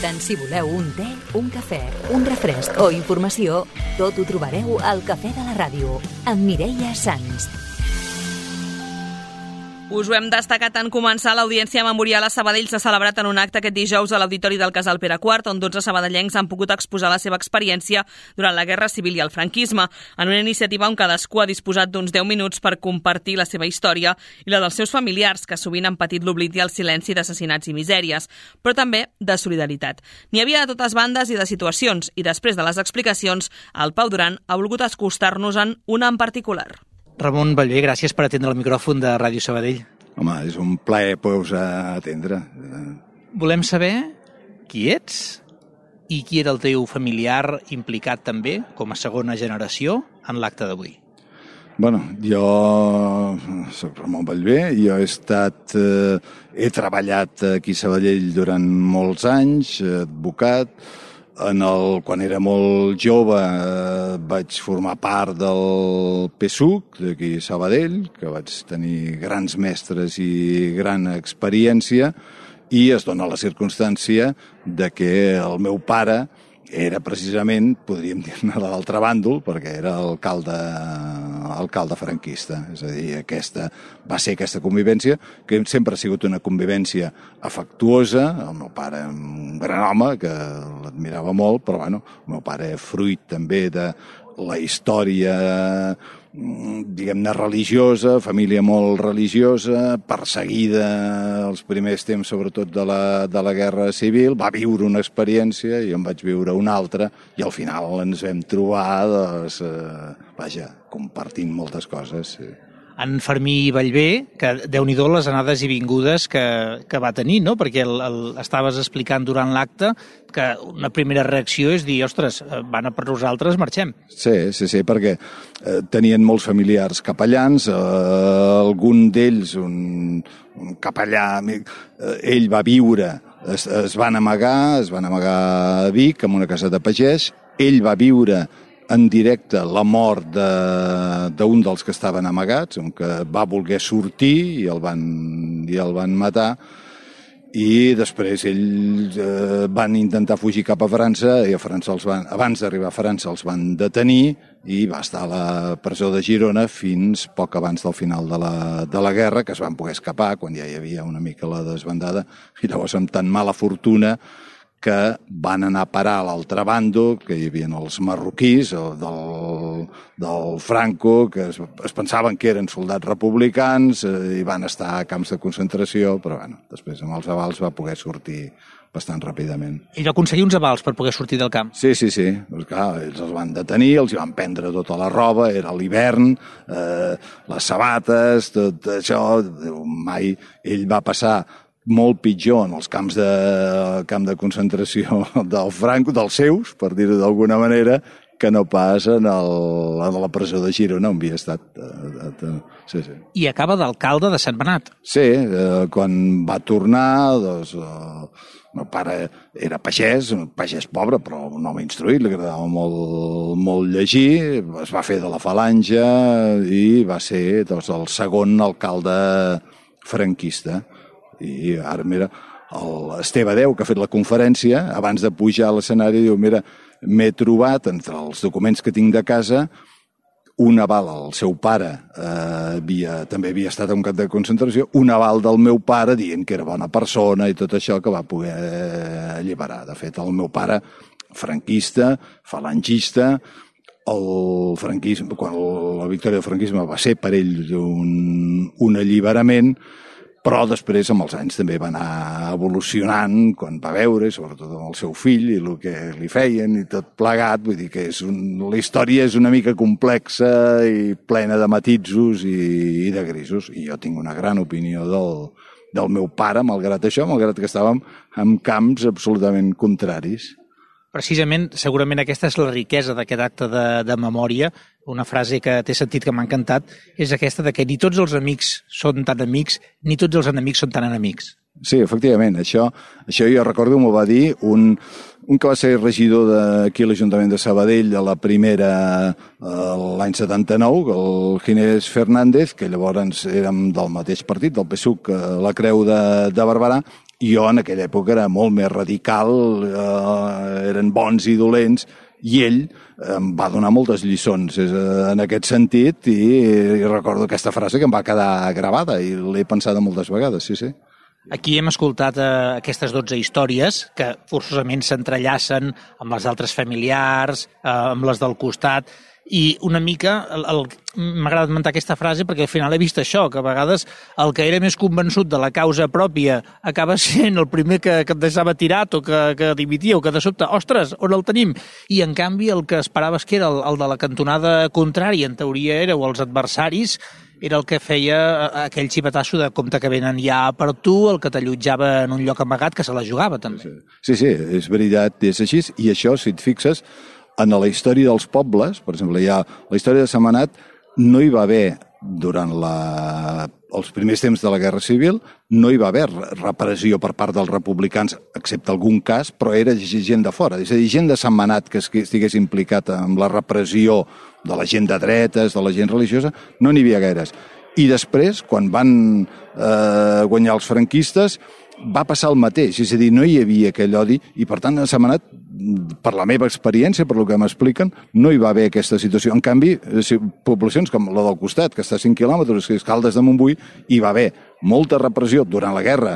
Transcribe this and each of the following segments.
Tant si voleu un te, un cafè, un refresc o informació, tot ho trobareu al Cafè de la Ràdio, amb Mireia Sans. Us ho hem destacat en començar. L'Audiència Memorial a Sabadell s'ha celebrat en un acte aquest dijous a l'Auditori del Casal Pere IV, on 12 sabadellencs han pogut exposar la seva experiència durant la Guerra Civil i el franquisme, en una iniciativa on cadascú ha disposat d'uns 10 minuts per compartir la seva història i la dels seus familiars, que sovint han patit l'oblit i el silenci d'assassinats i misèries, però també de solidaritat. N'hi havia de totes bandes i de situacions, i després de les explicacions, el Pau Duran ha volgut acostar-nos-en una en particular. Ramon Bellver, gràcies per atendre el micròfon de Ràdio Sabadell. Home, és un plaer poder-vos atendre. Volem saber qui ets i qui era el teu familiar implicat també, com a segona generació, en l'acte d'avui. Bueno, jo soc Ramon Bellver, jo he treballat aquí a Sabadell durant molts anys, advocat. Quan era molt jove vaig formar part del PSUC d'aquí a Sabadell, que vaig tenir grans mestres i gran experiència, i es dona la circumstància de que el meu pare era precisament, podríem dir-ne, de l'altre bàndol, perquè era alcalde franquista. És a dir, va ser aquesta convivència, que sempre ha sigut una convivència afectuosa. El meu pare, un gran home, que l'admirava molt, però bueno, el meu pare fruit també de la història, diguem-ne, religiosa, família molt religiosa, perseguida els primers temps, sobretot de la Guerra Civil, va viure una experiència i en vaig viure una altra, i al final ens vam trobar, compartint moltes coses. Sí. En Fermí Bellver, que déu-n'hi-do les anades i vingudes que va tenir, no? Perquè estaves explicant durant l'acte que una primera reacció és dir, ostres, van a per nosaltres, marxem. Sí, perquè tenien molts familiars capellans, algun d'ells, un capellà, ell va viure, es van amagar a Vic, en una casa de pagès, ell va viure en directe la mort d'un dels que estaven amagats, un que va voler sortir i el van matar, i després ells van intentar fugir cap a França, i a França abans d'arribar a França els van detenir i va estar a la presó de Girona fins poc abans del final de la guerra, que es van poder escapar quan ja hi havia una mica la desbandada, i llavors amb tan mala fortuna que van anar a parar a l'altre bàndol, que hi havia els marroquís del Franco, que es pensaven que eren soldats republicans i van estar a camps de concentració, però bueno, després amb els avals va poder sortir bastant ràpidament. Ell va aconseguir uns avals per poder sortir del camp. Sí. Pues clar, ells els van detenir, els van prendre tota la roba, era l'hivern, les sabates, tot això. Mai ell va passar molt pitjor en els camp de concentració del Franco, dels seus, per dir-ho d'alguna manera, que no pas en la presó de Girona, on havia estat. Sí. I acaba d'alcalde de Sant Benat. Sí, quan va tornar, doncs, el meu pare era pagès, un pagès pobre, però un home instruït, li agradava molt llegir, es va fer de la falange i va ser el segon alcalde franquista. I ara, mira, l'Esteve Deu, que ha fet la conferència, abans de pujar a l'escenari, diu, mira, m'he trobat, entre els documents que tinc de casa, un aval al seu pare, també havia estat a un camp de concentració, un aval del meu pare dient que era bona persona i tot això, que va poder alliberar. De fet, el meu pare, franquista, falangista, el franquisme, quan la victòria del franquisme va ser per ell un alliberament, però després, amb els anys, també va anar evolucionant quan va veure, sobretot amb el seu fill i el que li feien i tot plegat. Vull dir que la història és una mica complexa i plena de matisos i de grisos. I jo tinc una gran opinió del meu pare, malgrat això, malgrat que estàvem en camps absolutament contraris. Precisament, segurament aquesta és la riquesa d'aquest acte de memòria. Una frase que té sentit, que m'ha encantat, és aquesta de que ni tots els amics són tan amics, ni tots els enemics són tan enemics. Sí, efectivament. Això jo recordo, m'ho va dir un que va ser regidor d'aquí a l'Ajuntament de Sabadell a la primera, l'any 79, el Ginés Fernández, que llavors érem del mateix partit, del PSUC, la Creu de Barberà, Jo en aquella època era molt més radical, eren bons i dolents, i ell em va donar moltes lliçons en aquest sentit i recordo aquesta frase que em va quedar gravada i l'he pensada moltes vegades, sí. Aquí hem escoltat aquestes 12 històries que forçosament s'entrellacen amb les altres familiars, amb les del costat, i una mica m'ha agradat mentar aquesta frase perquè al final he vist això, que a vegades el que era més convençut de la causa pròpia acaba sent el primer que et deixava tirat o que dimitia o que de sobte, ostres, on el tenim? I en canvi el que esperaves que era el de la cantonada contrària, en teoria éreu els adversaris, era el que feia aquell xipetasso de compte que venen ja per tu, el que t'allotjava en un lloc amagat que se la jugava també. Sí, és veritat, és així, i això, si et fixes, en la història dels pobles, per exemple, la història de Sentmenat, no hi va haver, durant els primers temps de la Guerra Civil, no hi va haver repressió per part dels republicans, excepte algun cas, però era gent de fora. És a dir, gent de Sentmenat que estigués implicat en la repressió de la gent de dretes, de la gent religiosa, no n'hi havia gaires. I després, quan van guanyar els franquistes, va passar el mateix, és a dir, no hi havia aquell odi i, per tant, a Sentmenat, per la meva experiència, per el que m'expliquen, no hi va haver aquesta situació. En canvi, poblacions com la del costat, que està a 5 quilòmetres, que és Caldes de Montbui, hi va haver molta repressió durant la guerra,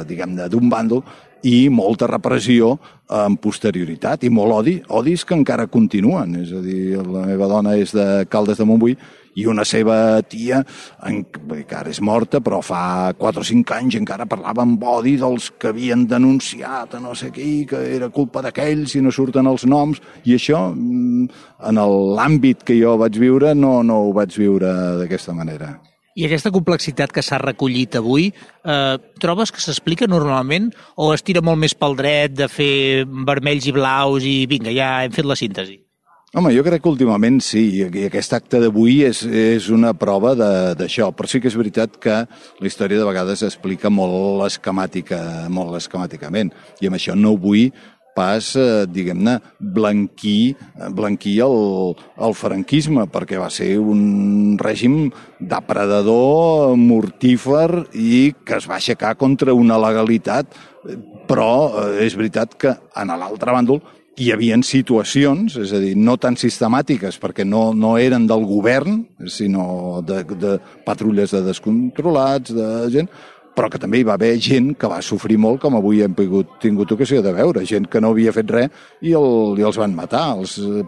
diguem-ne, d'un bàndol, i molta repressió en posterioritat, i molt odis que encara continuen. És a dir, la meva dona és de Caldes de Montbui, i una seva tia, que ara és morta, però fa 4 o 5 anys encara parlava amb odi dels que havien denunciat a no sé qui, que era culpa d'aquells i no surten els noms, i això, en l'àmbit que jo vaig viure, no ho vaig viure d'aquesta manera. I aquesta complexitat que s'ha recollit avui, trobes que s'explica normalment o es tira molt més pel dret de fer vermells i blaus i vinga, ja hem fet la síntesi? Home, jo crec que últimament sí, i aquest acte d'avui és una prova d'això, però sí que és veritat que la història de vegades explica molt esquemàticament, i amb això no vull pas, diguem-ne, blanquir el franquisme, perquè va ser un règim depredador, mortífer i que es va aixecar contra una legalitat, però és veritat que en l'altre bàndol hi havia situacions, és a dir, no tan sistemàtiques, perquè no eren del govern, sinó de patrulles de descontrolats, de gent, però que també hi va haver gent que va sofrir molt, com avui hem tingut ocasió de veure, gent que no havia fet res i els van matar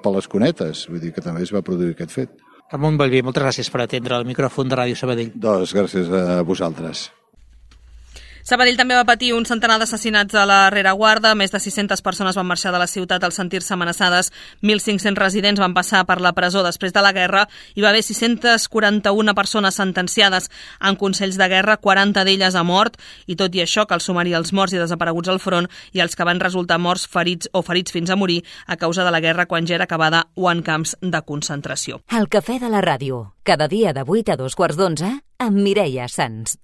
per les cunetes, vull dir que també es va produir aquest fet. Ramon Bellver, moltes gràcies per atendre el micròfon de Ràdio Sabadell. Doncs gràcies a vosaltres. Sabadell també va patir un centenar d'assassinats a la rereguarda. Més de 600 persones van marxar de la ciutat al sentir-se amenaçades. 1.500 residents van passar per la presó després de la guerra. Hi va haver 641 persones sentenciades en consells de guerra, 40 d'elles a mort, i tot i això cal sumar-hi els morts i desapareguts al front i els que van resultar morts, ferits o ferits fins a morir a causa de la guerra quan ja era acabada o en camps de concentració. El Cafè de la Ràdio, cada dia de 8 a 2 quarts d'11 amb Mireia Sans.